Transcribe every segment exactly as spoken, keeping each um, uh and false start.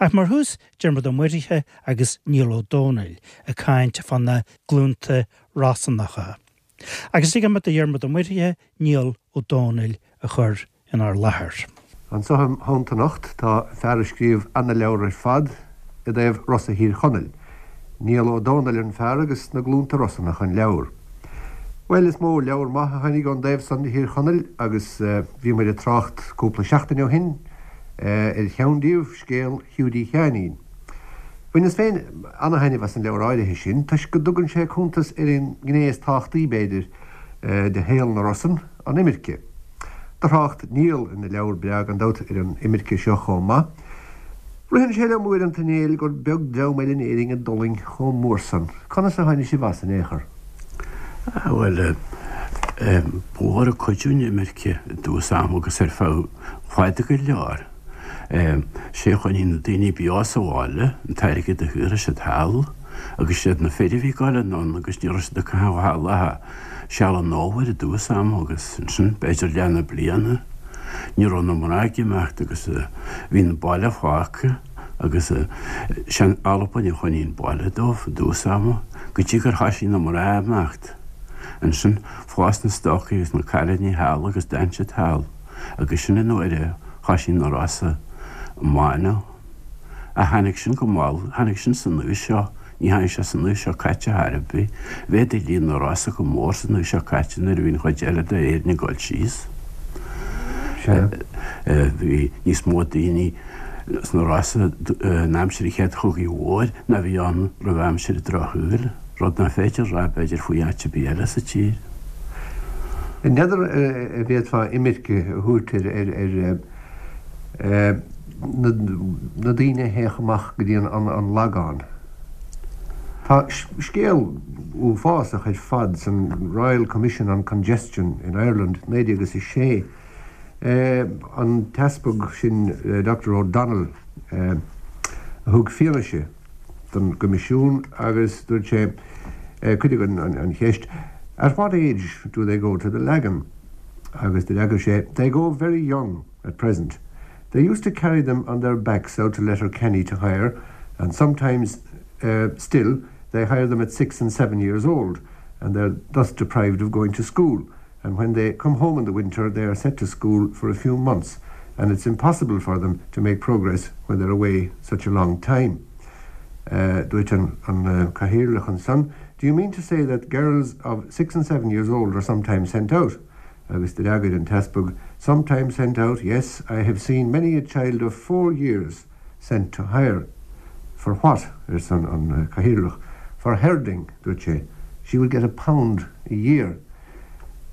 Ach mar thús Diarmuid Ó Muirithe agus Niall Ó Dónaill ag caint fá na glúnta Rosannacha. Agus ligfidh mé do Dhiarmuid Ó Muirithe Niall Ó Dónaill a chur inár láthair. Anseo im theannta anocht tá fear a scríobh ana-leabhar ar fad i dtaobh Rosa Thír Chonaill. Niall Ó Dónaill an fear agus na glúnta Rosannacha an leabhar. Well is mó leabhar maith a tháinig ón dtaobh san de Thír Chonaill agus bhí muid ag trácht cúpla seachtain ó shin ar cheann díobh scéal Hiúdaí Sheáinín. Bhaineas féin ana-thaitneamh as an leabhar áirithe sin toisc go dtugann sé cuntas ar an ngné is tábhachtaí b'fhéidir de shaol na Rosann, an imirce. Do thrácht Niall ina leabhar breá gan dabht ar an imirce seo chomh maith. Ritheann sé liom uaireanta a Néill gur beag dream eile in Éirinn a d'fhulaing chomh mór san. Conas a tháinig sibh as in aon chor? Ah, bhuel, ba mhór ag cuidiú an imirce i dtús ama agus ar feadh fada go leor. Sé a choinnigh na daoine beo sa bhaile, an t-airgead a shaothraigh siad thall, agus siad na fir a bhí ag dul anonn agus ní raibh siad ag caitheamh thall ach seal an fhómhair i dtús ama agus ansin b'fhéidir leath na bliana. Ní raibh na mná ag imeacht agus bhí an baile fágtha agus sé an Albain a choinnigh an baile dóibh i dtús ama go dtí gur thoisigh na mná ag imeacht. Ansin phós na stócaigh agus na cailíní thall agus d'fhan siad thall agus sin an uair a thoisigh na Rosa ag mánú. Ach tháinig sin go mall, tháinig sin san aois seo, ní tháinig sé san aois seo caite chor ar bith. Mhéadaigh líon na Rosa go mór san aois seo caite nuair a bhí an chuid eile d'Éirinn ag dul síos. Bhí níos mó daoine sna Rosa in aimsir an Chéad Chogaidh Mhóir ná bhí ann roimh aimsir an Drochshaoil, rud nach féidir a rá b'fhéidir faoi áit ar bith eile sa tír. N'fheadar an bhféadfá imirce a thabhairt ar na daoine a théadh amach go dtí an Lagán. Tá scéal uafásach ar fad san Royal Commission on Congestion in Ireland naoi déag agus a sé. An t-easpag sin Doctor O'Donnell a thug fianaise don gcoimisiún agus dúirt sé, cuireadh an cheist, At what age do they go to the Lagan? Agus d'fhreagair sé, They go very young at present. They used to carry them on their backs out to Letterkenny to hire, and sometimes uh, still they hire them at six and seven years old, and they're thus deprived of going to school. And when they come home in the winter, they are set to school for a few months, and it's impossible for them to make progress when they're away such a long time. Uh, dúirt an, an uh, cathaoirleach ansan, Do you mean to say that girls of six and seven years old are sometimes sent out? Agus d'fhreagair an t-easpag, Sometimes sent out, yes, I have seen many a child of four years sent to hire. For what? arsa an, an cathaoirleach. For herding, dúirt sé. She would get a pound a year.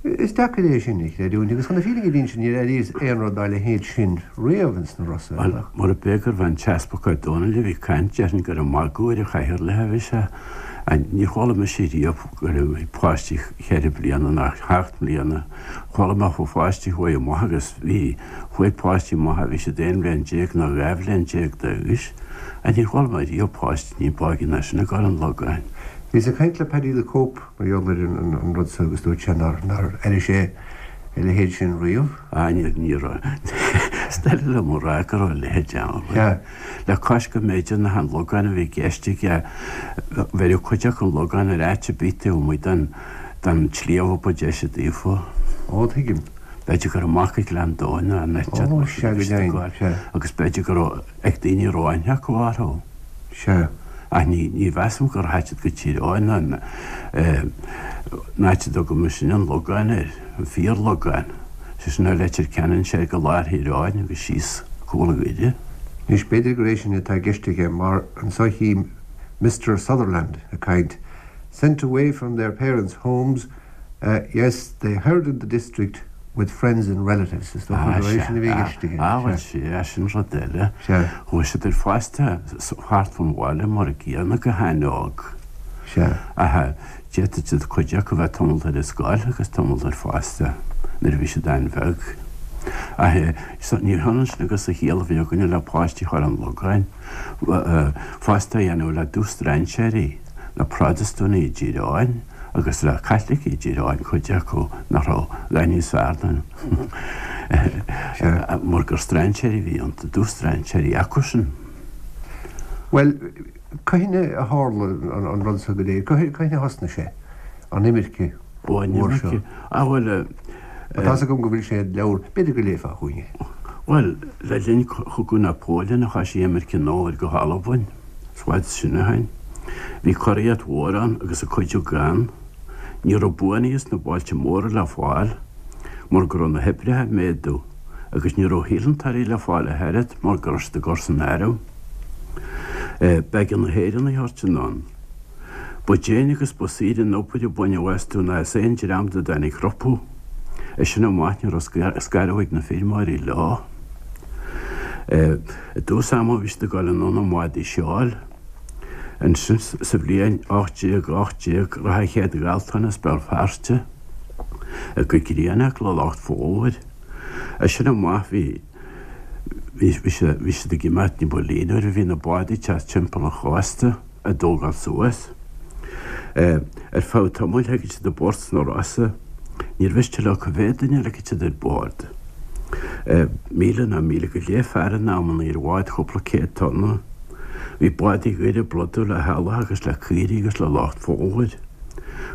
Is deacair é sin a chreidiúint agus chun na fírinne a insint níor airíos aon rud dá leithéid sin riamh ins na Rosa. Bhuel, mura b'é gurbh an t-easpag Ó Dónaill a bhí ag caint, déarfainn gur ag magadh ar an chathaoirleach a bhí sé. Níor chuala mise riamh go raibh páistí cheithre bliana ná seacht mbliana. Chuala mé faoi pháistí chuaigh amach agus bhí, chuaigh páistí amach a bhí siad aon bhliain déag nó dhá bhliain déag d'aois. Níor chuala mé riamh páistí ní b'óige ná sin ag dul an Logáin. Bhíos ag caint le Paddy the Cope mar gheall ar an rud seo agus dúirt sé nár nár airigh sé a leithéid sin riamh. Á, níor, ní raibh. Is doiligh liom a rá go raibh a leithéid ann. Sea. Le cois go mb'fhéidir nach an Logán a bhí i gceist aige, bheireadh cuid acu an Logán ar áit ar bith taobh amuigh den, den tsliabh a ba deise daofa. Ó, tuigim. B'fhéidir gur amach go Gleann Domhain ná an áit Ó, sea, go deimhin, sea. Agus b'fhéidir go raibh ag daoine a raibh aithne acu orthu. Sea. Ach ní, ní mheasaim gur thit siad go Tír Eoghain ná an áit a dtugaimid sin an Logán air, an fíor-Logán, sé sin ó Leitir Ceanainn soir go lár Thír Eoghain agus síos Cúil Mhuire. Anois, b'fhéidir gur é sin atá i gceist aige mar anso chím Mister Sutherland ag caint, sent away from their parents' homes, yes, they herded the district with friends and relatives, is dócha Ah, gur é sea, sin a bhí i ah, gceist aige. ah, bhuel, Sea. sea, sin rud eile. Sea. Chuaigh siad ar fostú thart fan bhaile mar a gcéanna go han-óg. Sea. Ach d'fhéadfadh siad cuid acu bheith tamall ar an scoil agus tamall ar fostú nuair a bhí siad an-bheag. Ach ní hionann sin agus an chiall a bhí againne le páistí a chur an Logáin, fostú a dhéanamh le dubh-strainséirí, le Protastúnaigh i dTír Eoghain agus le Caitlicigh i dTír Eoghain, cuid acu nach raibh a dhath níos fearr ná mar gur strainséirí a bhí iontu, dubh-strainséirí acusan. Bhuel, cathain a tharla an rud seo go léir? Cathain a thosnaigh sé, an imirce mhór seo? Ah bhuel, Tá a fhios agam go bhfuil sé i leabhar, b'fhéidir go léifeá dhúinn é. Bhuel, le linn Chogadh Napoleon a thoisigh imirce an fhómhair go hAlbain, is i bhfad sin ó shin. Bhí curaíocht mhór ann agus a cuidiú gann. Ní raibh buanaithe sna bailte móra le fáil mar go raibh na hoibrithe ag méadú agus ní raibh hellantóirí le fáil ach oiread mar go raibh siad ag dul san arm. B'éigean na hÉireannaigh a thabhairt anonn. Ba déine agus ba saoire an obair a baineadh astu ná as aon dream dá dtáinig rompu. As sin amach ní raibh scaradh ag na feirmeoirí leo. I dtús ama bhí siad ag dul anonn i mbádaí seoil. Ansin sa bhliain ocht déag ocht déag rachadh an chéad ghaltán as Béal Feirste go Greenock le lucht fómhair. As sin amach bhí bhí bhí siad ag imeacht ní ba líonmhaire, bhí na bádaí ag teacht timpeall an chósta á dtógáil suas. Ar feadh tamaill thagadh siad i bport sna Rosa. Níor mhiste leo cá mhéad duine a ligfeadh siad ar bord. Míle nó míle go leith fear in amannaí ar bhád chúpla céad tonna. Bhí bádaí Dhoire ag plódú le heallach agus le caoirigh agus le lucht fómhair.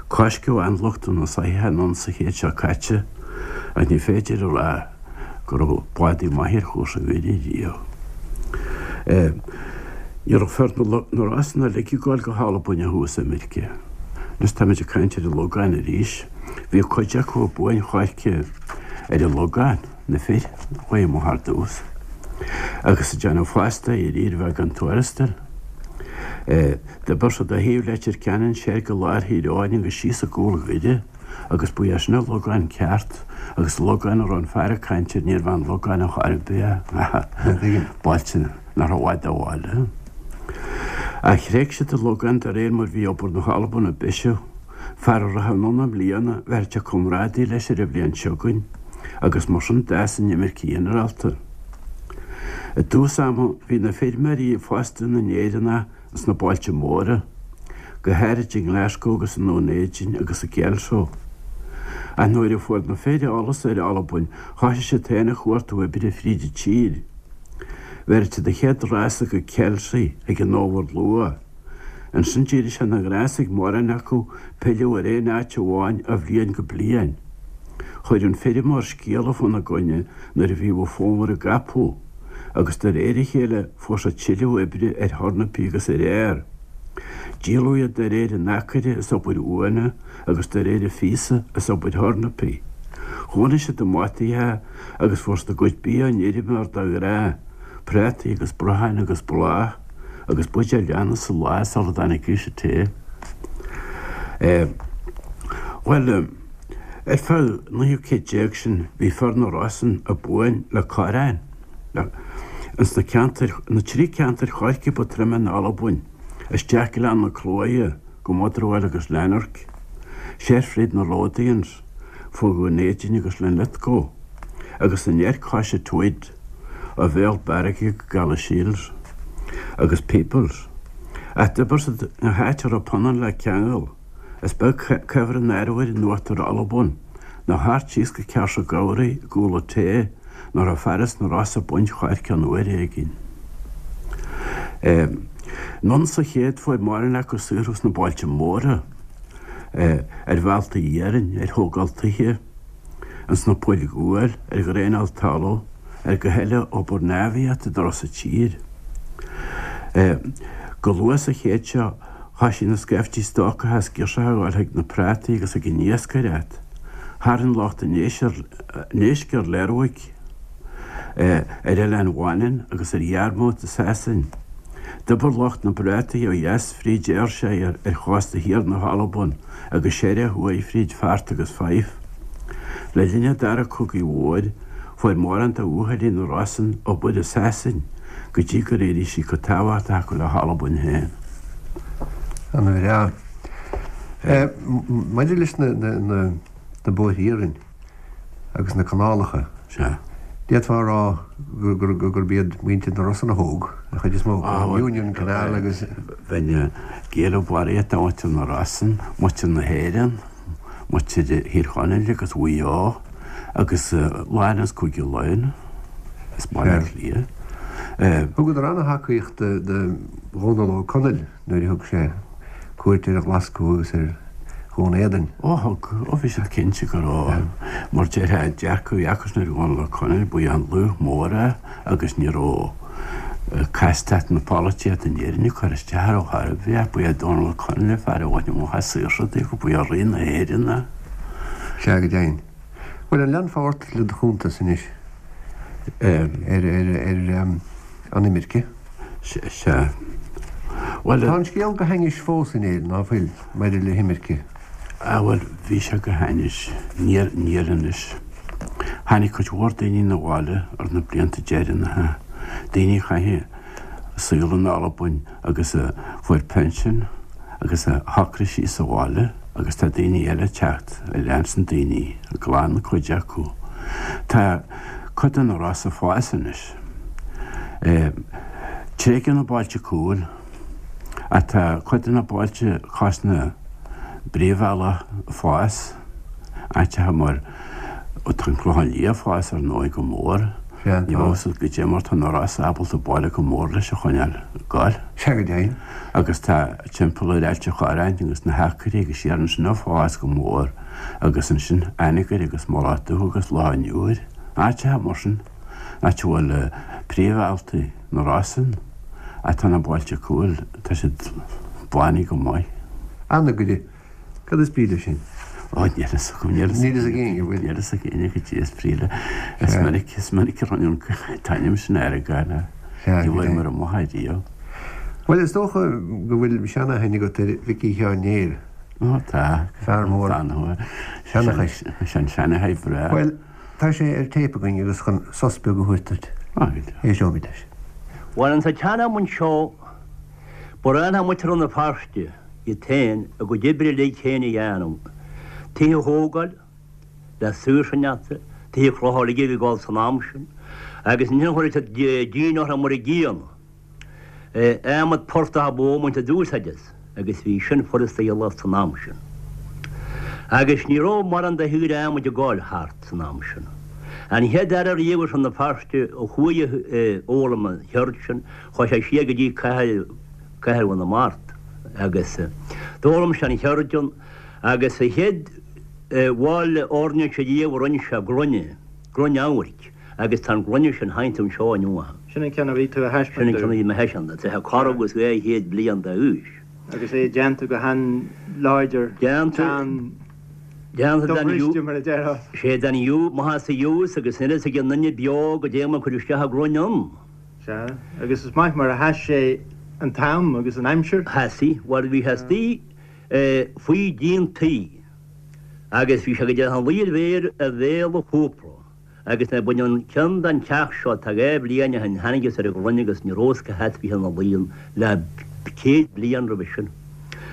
Coisceadh anluchtú na soitheach anonn sa chéad seo caite, ach ní féidir a rá go raibh bádaí maithe ar chúrsa Dhoire riamh. Ní raibh fir na Rosann uilig ag gabháil go hAlbain ó thús imirce. Anois táimid ag caint ar an Logán arís. Bhí cuid acu ag buain choirce ar an Logán, na fir, a chuaigh amach ar dtús, agus ag déanamh fostaithe ar fhíor bheagán tuarastail. D'oibir siad ó thaobh Leitir Ceanainn soir go lár Thír Eoghain agus síos i gcúl Dhoire, agus ba é sin an Logán ceart, agus an Logán a raibh an fear ag caint air, níorbh an Logán ar chor ar bith é, bailte nach raibh i bhfad ó bhaile. Ach thréig siad an Logán de réir mar bhí obair na hAlban ag bisiú. Fear a rachadh anonn i mbliana, bhéarfadh sé comrádaí leis ar an bhliain seo chugainn, agus mar sin d'fhás an imirce ghinearálta. I dtús ama bhí na feirmeoirí ag fostú na nÉireannach sna bailte móra, go háirid i nGlaschú agus i nDún Éideann agus i gCelso. Ach nuair a fuair na fir eolas ar Albain, thoisigh siad féin ag cuartú oibre fríd an tír. Bheireadh siad an chéad rása go Kelsie ag an fhómhar luath. Ansin d'éirigh sé ina ghnás ag mórán acu pilleadh ar aon áit amháin ó bhliain go bliain. Chuir an feirmeoir scéala fána gcoinne nuair a bhíodh an fómhar ag gabhadh, agus de réir a chéile fuair siad tuilleadh oibre ar thornapaí agus ar fhéar. Díoladh iad de réir an acaire as obair uaine agus de réir an phíosa as obair thornapaí. Chónaigh siad i mbataí agus fuair siad a gcuid bia ón fheirmeoir de ghnáth, prátaí agus brocháin agus bláth, agus buidéal leanna sa lá sula dtáinig aois an tae. Bhuel, ar feadh an naoú céad déag sin bhí fir na Rosann ag buain le corráin ins na ceantair, na trí ceantair choirce ba troime in Albain, isteach Gleann na Clóidhe go Motherwell agus Lanark, soir fríd na Lothians, fó Dhún Éideann agus Linlithgow, agus anoir cois an Tweed, ó Bhéal Bearga go Galashiels agus Peebles. Ach d'oibir siad gach áit a raibh punann le ceangal, is beag cuibhreann an arbhair in uachtar Alban, nó thart síos go Carse Gowrie i gCúil an Tae, nach raibh fear as na Rosa ag baint choirce ann uair éigin. Anonn sa chéad fuair mórán acu saothrú sna bailte móra, ar bhealtaí iarainn, ar thógáil tithe, ins na poill ghuail, ar dhraenáil talaimh, ar gach uile obair neamhaíochta dá raibh sa tír. Go luath sa chéad seo thoisigh na scaifte stócach as girseacha a ghabháil chuig na prátaí agus ag an iascaireacht. Tharraing lucht an éisc ar Lerwick, ar Oileán Mhanann agus ar Yarmouth i Sasain. D'oibir lucht na bprátaí ó dheas fríd Ayrshire ar chósta thiar na hAlban agus soir ó thuaidh fríd Forth agus Fife. Le linn an Dara Cogaidh Mhóir, fuair mórán de bhuachaillí na Rosann obair i Sasain go dtí gur éirigh sí chomh tábhachtach acu le hAlbain féin. An-bhreá. Maidir leis na na bóithre iarainn agus na canálacha, Sea. d'fhéadfá a rá gurb iad muintir na Rosann a thóg an chuid is mó, Union Canal agus. Bheinn ag éileamh barraíocht de mhuintir na Rosann, muintir na hÉireann, muintir Thír Chonaill agus Mhaigh Eo agus lán as Cúige Laighean, as Baile Átha Cliath. Thugadar an-thacaíocht do Dhónal Ó Conaill nuair a thug sé cuairt ar Ghlaschú agus ar Dhún Éideann. Ó thug, ó bhí siad cinnte go raibh, mar déarfá, dearcadh a bhí acusan ar Dhónal Ó Conaill, ba é an laoch mór é agus ní raibh castacht na polaitíochta in Éirinn ag cur isteach air ar chor ar bith. Ba é Dónal Ó Conaill an fear a bhain amach as saoirse daofa, ba é Rí na hÉireann é. Sea, go deimhin. Bhuel, an leanfá ort le do chuntas anois ar an imirce? Sea. Bhuel. Tá an scéal go hainnis fós in Éirinn, ná fuil, maidir le himirce? Ah, bhuel, bhí sé go hainnis. Níl, níl anois. Tháinig cuid mhór daoine 'na bhaile ar na blianta deireanacha, daoine a chaith a saol in Albain agus a fuair pinsean agus a shocraigh síos sa bhaile agus tá daoine eile ag teacht a leanann daoine, a gclann cuid acu. Tá cuid de na Rosa ag fás anois. Tréigeadh na bailte cúil ach tá cuid de na bailte cois na bpríomhbhealach ag fás, áiteacha mar tá an Clochán Liath ag fás ar ndóigh go mór. Sea, Ní tá. bheadh a fhios agat goidé mar tá na Rosa ábalta baile chomh mór leis a choinneáil ag goil. Sea go deimhin. Agus tá timpeall ar Ailt an Chorráin agus na hAcairí agus siar ansin ag fás go mór agus ansin Anagaire agus Mullach Dubh agus Loch an Iúir, áiteacha mar sin, áit a bhfuil príomhbhealtaí na Rosann ach tá na bailte cúil, tá siad blánaithe go maith. Anagaire, Cad is brí leis sin? Ó, níl fhios agam, níl Níl fhios ag éinne, bhfuil? Níl fhios ag éinne goidé is brí le. Is minic, is minic a rinne an t-ainm sin ar an gcaile. Sea, Ní bhfuair go mé amach é riamh. Bhuel, is dócha go bhfuil seanaithne agat ar Mhicí Sheáin Néill. Ó, tá. Fear mór Tá, nó. seanchais. Sin seanchai breá. Bhuel, tá sé ar téip againn agus chun sos beag a thabhairt duit. Á, go deimhin. Éisteoimid leis. Bhuel, insa tsean-am anseo, ba ghnách le muintir Rann na Feirste, iad féin, a gcuid oibre uilig féin a dhéanamh, tithe a thógáil le saoirse neata, tithe clocha uilig a bhí ag dul san am sin, agus ansin chuireadh siad díon orthu mar an gcéanna. Adhmad portach ab mhó a mbaint d'úsáid as, agus bhí sin furasta a dhíol san am sin. Agus ní raibh mórán de shaoire adhmaid ag dul thart san am sin. An chéad fhear ariamh as Rann na Feirste a chuaigh a fhoghlaim an cheird sin, chuaigh sé siar go dtí cathair, Cathair Bhun na Mart agus d'fhoghlaim sé an cheird ann agus a chéad bhall airnéise riamh a rinne sé gloine, gloine amhairc agus tá an ghloine sin sheinnte anseo inniu. Sin an ceann a bhí tú a Sin an thaispeáint ceann a bhí mé a thaispeáint, tá sé corradh agus dhá chéad bliain d'aois. Agus é déanta go han-láidir, Déanta, teann, déanta den dobhriste mar a déarfá. Sé den fhiú, maith as a fhiús agus níl fhios ag an nduine beo goidé mar a cuireadh isteach an ghloine ann. Sea, agus is maith mar a sheas sé an t-am agus an aimsir. Sheas, bhuel bhí sé istigh faoi dhíon tí agus bhí sé go dtí an luí ar mhéar ar bhéal an chófra agus nuair a baineadh an ceann den teach seo tá dhá bhliain ó shin thángthas ar an ghloine agus ní raibh fhios cá háit a bhí ina luí ann le céad bliain roimhe sin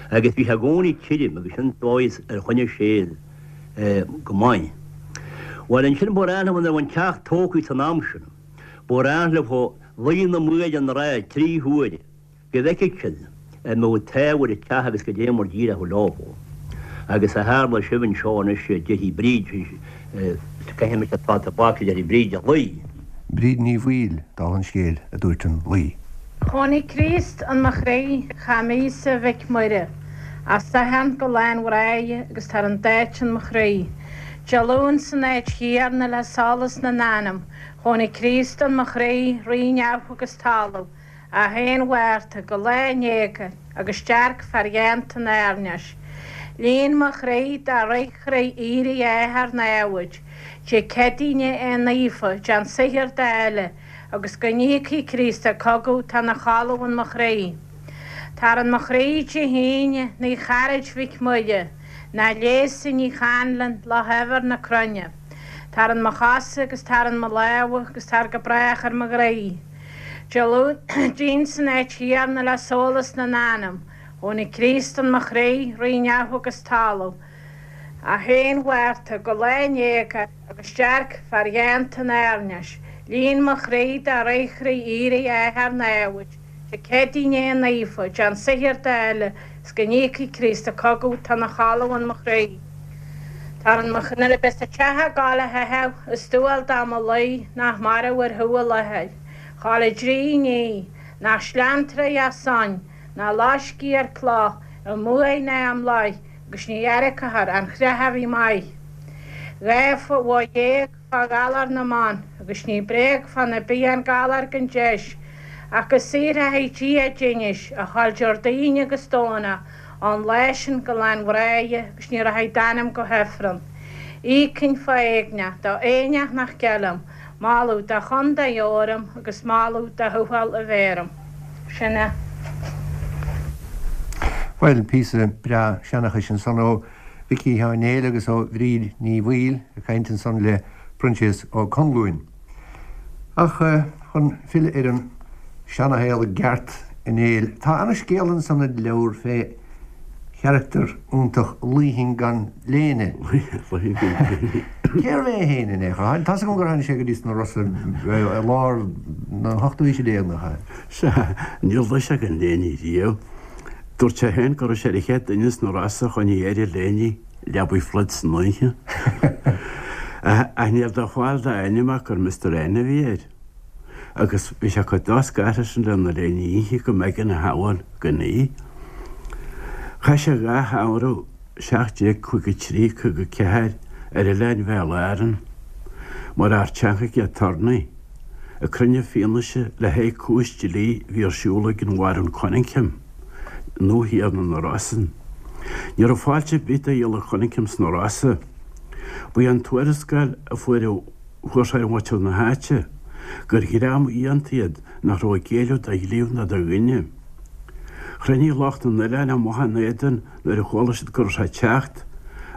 agus bhí sé i gcónaí tirim agus sin dóigh ar choinnigh sé go maith. Bhuel ansin ba ghnách leo nuair a bhí an teach tógtha san am sin. Ba ghnách leo luí na maoile an ráth trí huaire go bhfeicfeadh siad an mbeadh an t-ádh ar an teach agus goidé mar d'éireodh leo. Agus a tharla sibh anseo anois, déarfaidh Bríd, caithfidh mise atá tobac, déarfaidh Bríd a luí. Bríd Ní Bhaoill, dála an scéil, a dúirt an luí. Chónaigh Críost in mo chroí, cham Íosa Mhic Muire, As Satharn go lá an bhreithe agus tar an d'áit in mo chroí. Dé Luain san áit chéanna le solas na n-anam, Chónaigh Críost in mo chroí, Rí neamh agus talamh, a haon Mhárta go lá an éaga agus dearc fear dhéanta an airneáis. Líon mo chroí dá reochroí aoire Athar namhaid, Dé Céadaoine é naofa, déan saothar d'fhéile, agus go n-íocfaidh Críost a cogadh tá 'na chodladh in mo chroí. Tar in mo chroí Dé hAoine, Naomh Charaid Mhic Muire, ná Léasa Ní Chanlon, Loch Eibhear na Cruinne. Tar in mo chosa agus tar in mo lámha agus tar go brách ar mo ghroí. Dé Luain san áit chéanna le solas na n-anam, Chónaigh Críost in mo chroí, Rí neamh agus talamh, a haon Mhárta go lá an éaga agus dearc fear dhéanta an airneáis, Líon mo chroí dá reochroí aoire Athar namhaid, Dé Céadaoine é naofa, déan saothar d'fhéile, 's go n-íocfaidh Críost a cogadh tá 'na chodladh in mo chroí. Tar in mo Nuair a bheas an teach ag gabháil a theitheadh, is dual dom a luí nach marbh ar thú a láthair. Chaill a dtrí ní, nach sleanntraí as san, ná loiscí ar cloch, i mbuaidh ná i mblaith, agus ní airceathar an chreach a bhí maith. Dhá bhó dhéag fá ghalar na mban, agus ní bréag fá na bith an galar gan deis, ach go saothraithe Dia d'inis, a chaill Déardaoin agus Domhnach, ón lá sin go lá an bhreithe agus ní rachaidh d'anam go hIfreann. Íocfainn fá éagnacht do éinneach nach gceilim, moladh do chontae orm agus moladh do thuathal a bhéarm. Sin é. Bhuel, píosa breá seanchais ansan ó Mhicí Sheáin Néill agus ó Bhríd Ní Bhaoill ag caint ansan le Proinsias Ó Conluain. Ach chun filleadh ar an seanashaol i gceart a Néill, tá ana-scéal ansan i do leabhar fé charachtar iontach Luíthinn gan léine. Luíthinn gan léine. Cérbh é féin in aon chor? Tá's agam gur tháinig sé go dtí sna Rosa i lár na hochtú haoise déag, nach ea? Sea, níor luigh sé gan léine riamh. Dúirt sé féin go raibh sé ar an chéad duine sna Rosa a choinnigh air a léine leabaidh phluid san oíche. Ach níl de fáil dá ainm ach gur Mister N a bhí air. Agus bhí sé chomh do-scartha sin lena léine oíche go mb'éigean a shamhail gan í. Chaith sé dhá shamhradh, seacht déag caoga trí, caoga ceathair, ar oileáin Bhéal Árann, mar fhear teangacha aturnae, ag cruinniú fianaise le haghaidh cúis dlí a bhí ar siúl ag an Bharún Cunningham, nuathiarna na Rosann. Ní raibh fáilte ar bith do Ghiolla Cunningham sna Rosa. Ba í an tuarascáil a fuair fuair sé ar mhuintir na háite, gur dhream uaitheanta iad nach raibh ag géilleadh do dhlíbh ná do dhuine. Chruinnigh lucht an oileáin amach ina éadan nuair a chuala siad go raibh sé ag teacht,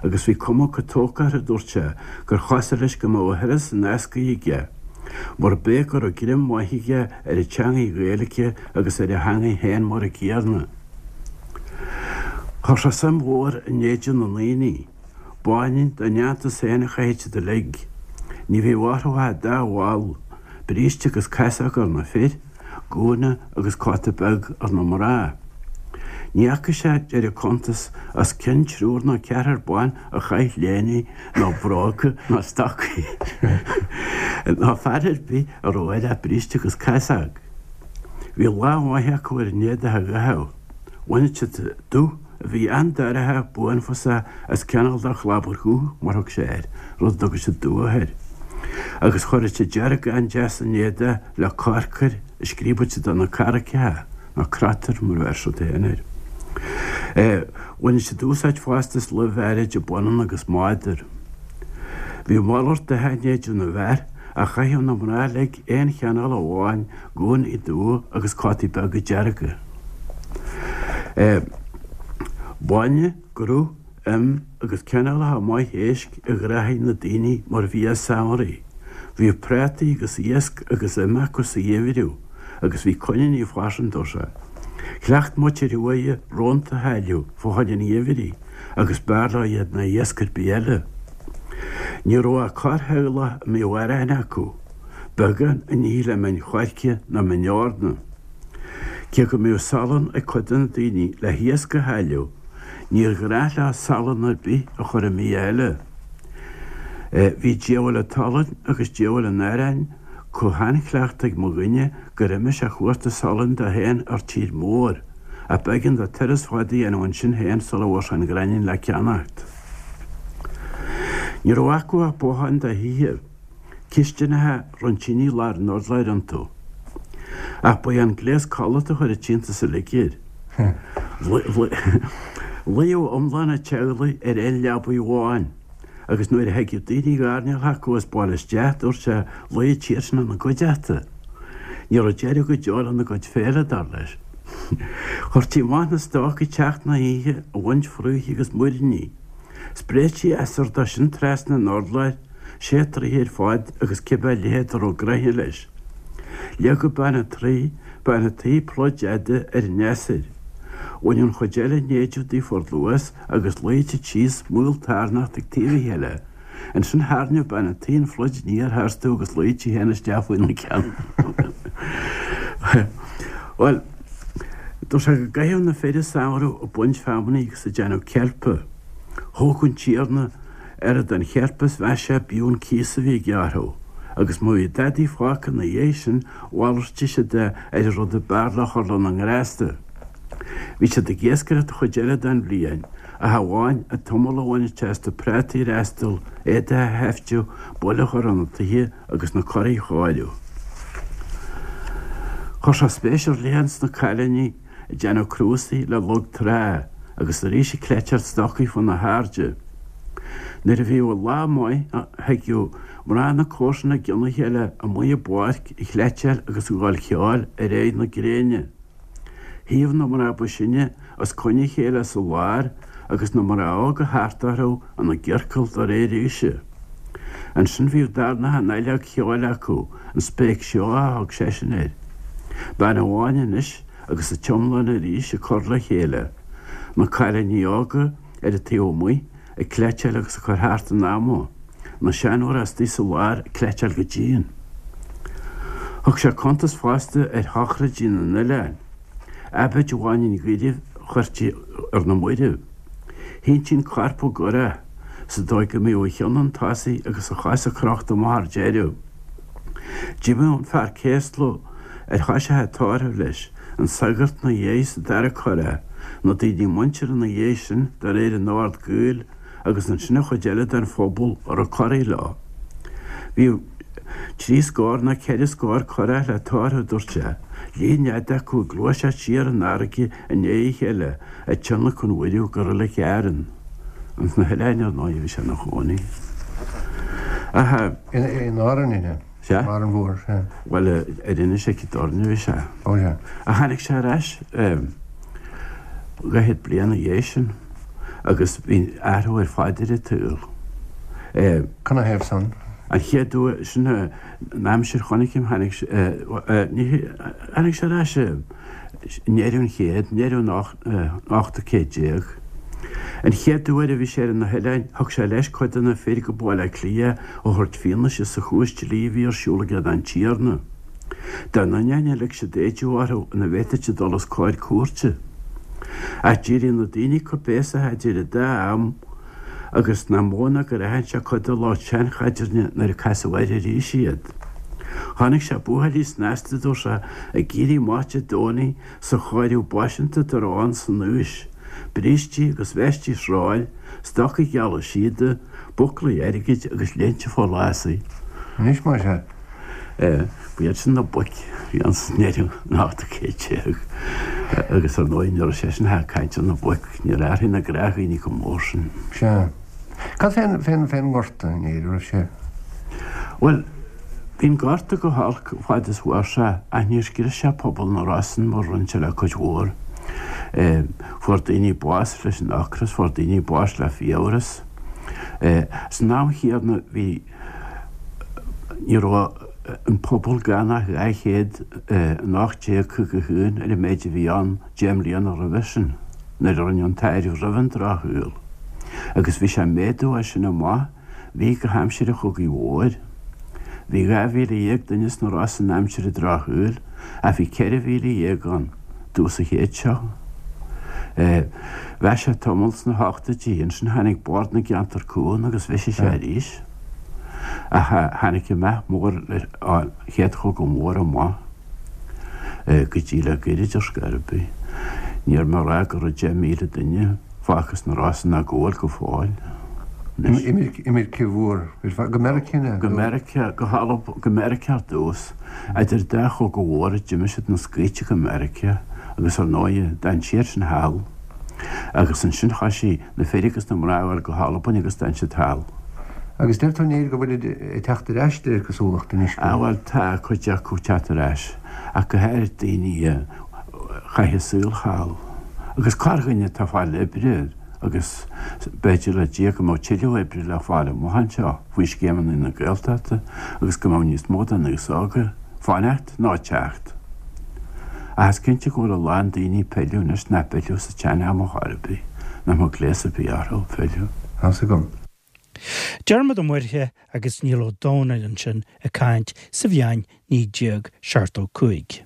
agus bhí cuma chomh tógtha orthu, dúirt sé, gur chosúil leis go mbeadh a thuras in eascaidh aige, murab é go raibh greim maith aige ar an teangaidh Ghaeilge agus ar a theangaidh féin mar a gcéanna. Chuir sé suim mhór in éide na ndaoine. B'ionann dá ndéantús féin a chaithfeadh siad uilig. Ní bhíodh orthu ach dá bhall, bríste agus casóg ar na fir, gúna agus cóta beag ar na mná. Ní fhaca sé, deir an cuntas, os cionn triúr nó ceathrar ban a chaith léine nó bróga nó stocaí ná fear ar bith a raibh air ach bríste agus casóg. Bhí lá maith acu ar an éadach a dh'fheitheamh. Bhaineadh siad dubh a bhí an-dorcha buanfasach as cineál de chlabhar dhubh, mar thug sé air, rud a dtugadh siad dubhach air. Agus chuireadh siad dearg an-deas san éadach le corcair a scríobadh siad ar na carraigeacha, nó crotair mar a bheir siad féin air. Bhaineadh siad úsáid fosta as luibh áirid baineann agus mádar. Bhí malairt dath in éide na bhfear ach chaitheadh na mná uilig aon chineál amháin, gúnaí dubha agus cótaí beaga dearga. Bainne, gruth, im agus cineálacha maith éisc a ghnóthaigh na daoine mar bhia samhraidh. Bhíodh prátaí agus iasc agus im acu sa gheimhreadh agus bhí coiníní freisin, dúirt sé. Chleacht muintir thuaithe rónta a shailleadh fá choinne an gheimhridh agus b'fhearr leo iad ná iasc ar bith eile. Ní raibh ach corrtheaghlach a mbíodh arán acu, beagán a n-ithe le min choirce nó min eorna. Cé go mbíodh salann ag cuid de na daoine le hiasc a shailleadh, níor ghnách leo salann ar bith a chur i mbia eile. Bhí diabhal an tsalainn agus diabhal an aráin chomh han-chleachta ag mo dhuine gur imigh sé a chuartú salainn dó féin ar tír mór, ach b'éigean dó turas fada a dhéanamh ansin féin sula bhfuair sé an gráinnín le ceannacht. Ní raibh acu ach botháin do thithe. Cistineacha, roinnt tine lár an urláir iontu. Ach ba é an gléas codlata a chuir an t-iontas uilig air. Luíodh iomlán an teaghlaigh ar aon leabaidh amháin, agus nuair a thigeadh daoine ag airneál acu as baile isteach, dúirt sé, luíodh siad sin ina gcuideachta. Ní raibh deireadh go deo lena gcuid féile, dar leis. Chuirtí amach na stoic ag teacht na hoíche ag baint fraoich agus muiríní. Spréití easair dó sin trasna an urláir, sé troigh ar fad agus cibé leithead a raibh gnoithe leis. Leagadh bean an troigh, bean an tí pluid fhada ar an easair. Bhaineadh an chuid eile den éideadh daofa ar luas agus luíodh siad síos maoltarnocht ag taobh a chéile. Ansin thairneodh bean an tí an phluid aniar tharstu agus luíodh sí féin isteach faoina ceann. Bhuel, dúirt sé go gcaitheadh na fir an samhradh ag baint feamainní agus ag déanamh ceilpe. Thóg an tiarna oiread den cheilp is mheas sé b'fhiú an cíos a bhí aige orthu, Agus má bhí dadaí fágtha ina dhiaidh sin, mhalartaigh siad é ar an rud ab fhearr le chur lena ngrásta. Bhí siad ag iascaireacht an chuid eile den bhliain, ach amháin an t-iomall a bhaineadh sé as na prátaí a fhreastal, éadaigh a sheiftiú, buille a chur ar na tithe agus na curaigh a chóiriú. Chuir sé spéis ar leith ins na cailíní ag déanamh crúsaí le log trá agus arís ag cleiteáil stocaí fá na hairde. Nuair a bhíodh lá maith thigeadh mná na comharsana i gcionn a chéile amuigh i bpáirc ag cleiteáil agus ag gabháil cheoil ar aghaidh na gréine. Shuíodh na mná ba shine os coinne a chéile sa lár agus na mná óga thart orthu ina gciorcal de réir aoise. Ansin bhíodh darnach an fhaileog cheoil acu, an spéic seó a thug seisean air. Bean amháin anois agus an t-iomlán arís ag cur le chéile, na cailíní óga ar an taobh amuigh ag cleiteáil agus ag cur thart an ama, na seanmhná istigh sa lár ag cleiteáil go dian. Thug sé cuntas fosta ar shochraidí na n-oileán. Aibíd amháin an gheimhridh a chuirtí ar na mairbh. Shíntí an corp i gcurach, sa dóigh go mbeadh a cheann chun tosaigh agus a chosa crochta amach ar deireadh. D'imíodh an fear céasla ar thoisigh an tórramh leis, an sagart 'na dhiaidh sa dara curach, na daoine muinteartha 'na dhiaidh sin de réir an ord gaoil agus ansin an chuid eile den phobal a raibh curaí leo. Bhíodh trí scór nó ceithre scór curach le tórramh, dúirt sé, líon fhada acu ag gluaiseacht siar an fharraige i ndiaidh a chéile ag tionlacan an mhairbh go Reilig Árann. Ins na hoileáin ar ndóigh a bhí sé ina chónaí. Ach. In Árainn, an ea? Sea. Árainn Mhór, sea. Bhuel, ar Inis Aici Doirne a bhí sé. Ó, sea. Ach tháinig sé ar ais dhaichead bliain ina dhiaidh sin agus bhí athrú ar fad ar an tsaol. Canathaobh san? An chéad uair, sin an aimsir chonaic mé, tháinig sé, ní, tháinig sé ar ais i ndeireadh an chéid, ndeireadh an ochtú céad déag. An chéad uair a bhí sé ar na hoileáin, thug sé leis cuid de na fir go Baile Átha Cliath a thabhairt fianaise sa chúis dlí a bhí ar siúl ag an Tiarna. Dá n-ainneoin a lig siad éideadh orthu ina bhféadfadh siad dul os comhair cúirte. Ach d'éirigh na daoine coibhéasach idir an dá am agus nach mó ná gur aithin sé cuid de lucht seanchaidrimh nuair a casadh air arís iad. Chonaic sé buachaillí snasta, dúirt sé, ag éirí amach Dé Domhnaigh sa chóiriú b'fhaiseanta dá raibh ann san aois, brístí agus veistí sróil, stocaí geala síoda, búclaí airgid agus léinte forlásaí. Anois más ea. Ba iad sin na boic a bhí ann sa ndeireadh an ochtú céad déag agus ar ndóigh ní raibh seisean ach ag caint ar na boic, níor athraigh na gnáthdhaoine chomh mór sin. Sea. Cad fén, fén, fén ngorta in Éirinn, raibh sé? Bhuel, bhí an gorta go holc fad is mhair sé ach níor scrios sé pobal na Rosann mar a rinne sé le cuid mhór. Fuair daoine bás leis an ocras, fuair daoine bás le fiabhras. San am chéanna bhí, ní raibh an pobal gann ach dhá chéad in ocht déag caoga a haon ar an méid a bhí ann deich mbliana roimhe sin, nuair a rinneadh an t-áireamh roimh an Drochshaol. Agus bhí sé ag méadú as sin amach, bhí go haimsir an Chogaidh Mhóir. Bhí dhá mhíle dhéag duine sna Rosann aimsir an Drochshaoil, ach bhí ceithre mhíle dhéag ann dtús an chéid seo. Mheath sé tamall sna hochtóidí, ansin tháinig Bord na gCeantar Cúng agus bhisigh sé arís. Ach tháinig an meath mór leis an Chéad Chogadh Mór amach go dtí le goirid ar scor ar bith. Ní mór a rá go raibh deich míle duine fágtha sna Rosann ag gabháil go fóill anois. Imirce mhór go Meiriceá nó? Go Meiriceá, go hAlba, go Meiriceá ar dtús. Idir dá chogadh mhóra d'imigh siad na scaighte go Meiriceá agus ar ndóighe d'fhan siad sin thall. Agus ansin thoisigh na fir agus na mná a ghabháil go hAlbain agus d'fhan siad thall. Agus deir tú a Néill go bhfuilid ag teacht ar ais de réir cosúlachta anois go. Ah bhuel tá cuid acu ag teacht ar ais ach go háirid daoine a chaith a saol thall. Agus corrdhuine atá ag fáil oibre agus b'fhéidir le Dia go mbeadh tuilleadh oibre le fáil amuigh anseo faoi scéimeanna na Gaeltachta agus go mbeadh níos mó den aos óg ag fanacht ná ag teacht. Ach is cinnte go bhfuil a lán daoine ag pilleadh anois nach bpillfeadh sa tsean-am ar chor ar bith, nach mbeadh gléas ar bith orthu pilleadh. Tá's agam. Diarmuid Ó Muirthile agus Niall Ó Dónaill ansin ag caint sa bhliain naoi déag seachtó cúig.